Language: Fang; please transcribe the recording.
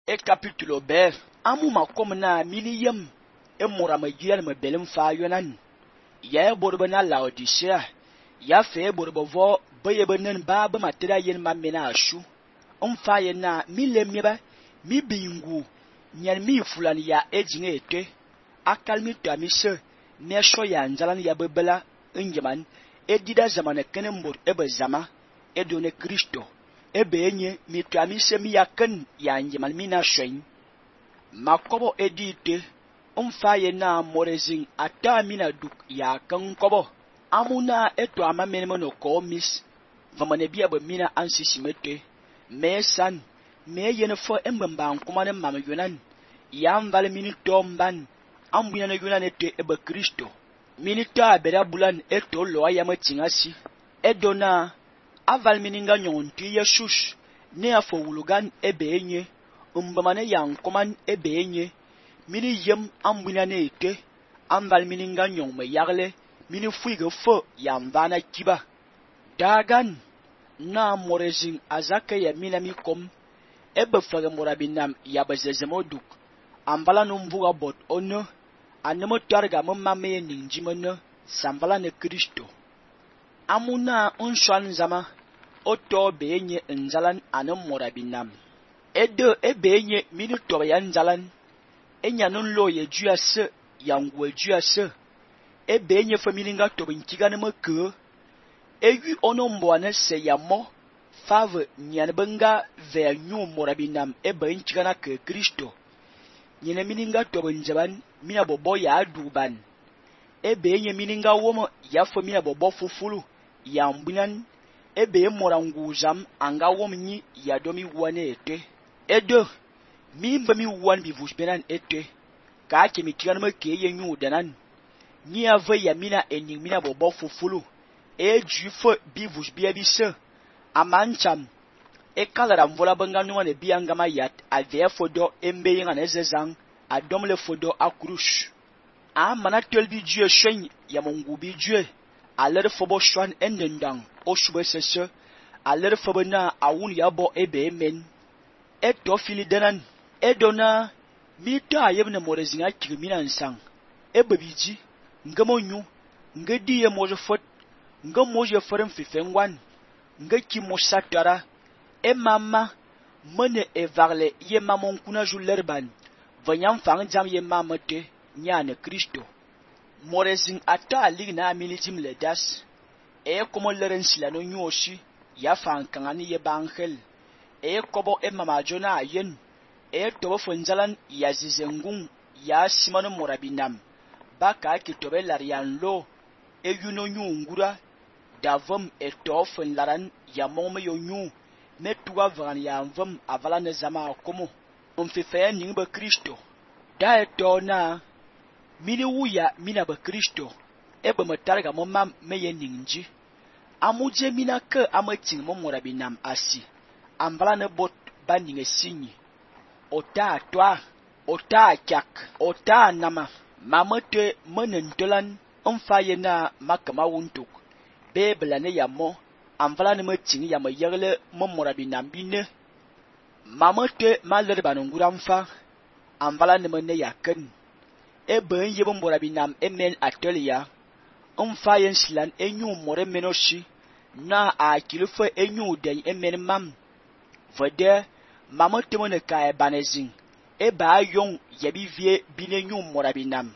e capítulo B. Amu makom na miliyem e mura magyal me belim fa yonan. Ya borbe na Laodicea. Ya fe borbe vo beye benen ba ba matera yen mamena ashu. Fa yen na milem yeba mi bingu nyan mi fulan ya ejinge ete. Akal mi to amise me sho ya njalan ya bebela njeman edida zamane kene mbor ebe zama edone Kristo. Ebe enye mi to amise mi yaken ya njeman mi na shoyin. Makobo edite fa yen na morezing ata mina duk ya kan kobo. Amuna eto amamenemo no komis vamane bia be mina ansisimete. Me san me yen fo embamba nkumane mam yonan ya mval mini tomban ambuya na yonan ete ebe Kristo. Minita beda bulan eto lo ayama tingasi edona aval mininga nyonti yesus ne afo wulugan ebe enye umbamane ya nkuman ebe enye mini yem ambuya ne ete amval mininga nyong me yagle mini fuige fo ya mvana kiba dagan na morezing azake ya minami kom ebe fage morabinam ya bezezemoduk ambala numvuga bot ono anemo targa mamame ninjimene sambala ne Kristo. Amuna unshan zama oto beenye nzalan anem morabinam edo ebeenye mini toba ya nzalan enyanun lo ye juase yangwe juase ebeenye familinga tobinkigane meke eyu onomboane se yamo fave nyanbenga ver nyu morabinam ebe nchigana ke Kristo. Nyene mininga tobinjaban mina bobo ya duban ebe nye mininga womo ya fo mina bobo fufulu ya mbunan ebe moranguzam anga wom nyi ya domi wane ete edo mi mba mi wan bi vushbenan ete ka ke mitigan me ke ye nyu danan nyi ave ya mina ening mina bobo fufulu e jufo bi vushbia bi se amancham e kalara mvola banga numa ne bianga yat ave fodo embe yinga ne zezang adom le fodo akrush a mana tolbi jue shen ya mongu bi jue aler fobo shwan endendang o shube sese aler fobo na awun ya bo ebe men eto fili denan edona mi ta yebne morezinga kirmina nsang ebe biji ngamonyu ngedi ye moje fot ngamoje forem fifengwan ngeki mosatara e mama mene e varle ye mamon kuna julerban vanyam fang jam ye mamate nyane Kristo. Morezing ata ligna milijim ledas e komo leren silano nyoshi ya fan kangani ye bangel e kobo e mama jona ayen e tobo fonjalan ya zizengung ya simano morabinam baka ki tobe larian lo e yuno nyungura davom e tofon laran ya mome yo nyu metuwa vran ya mvom avala ne zama komo umfife ningbe Kristo da eto na mini wuya mina be Kristo ebe metarga momam meye ningji amuje mina ke amating mo morabinam asi ambala ne bot baninge sinyi ota toa ota kyak ota nama mamote menentolan umfaye na makama wuntuk bebla ne yamo amvala ne meting ya mayegle mo morabinam bine mamote malerban nguramfa amvala ne mene yaken ebe yebo morabinam emen atelia umfaye slan enyu more menoshi na a kilufo enyu den emen mam vede mamote mone ka banezing eba yon yebi vie binenyu morabinam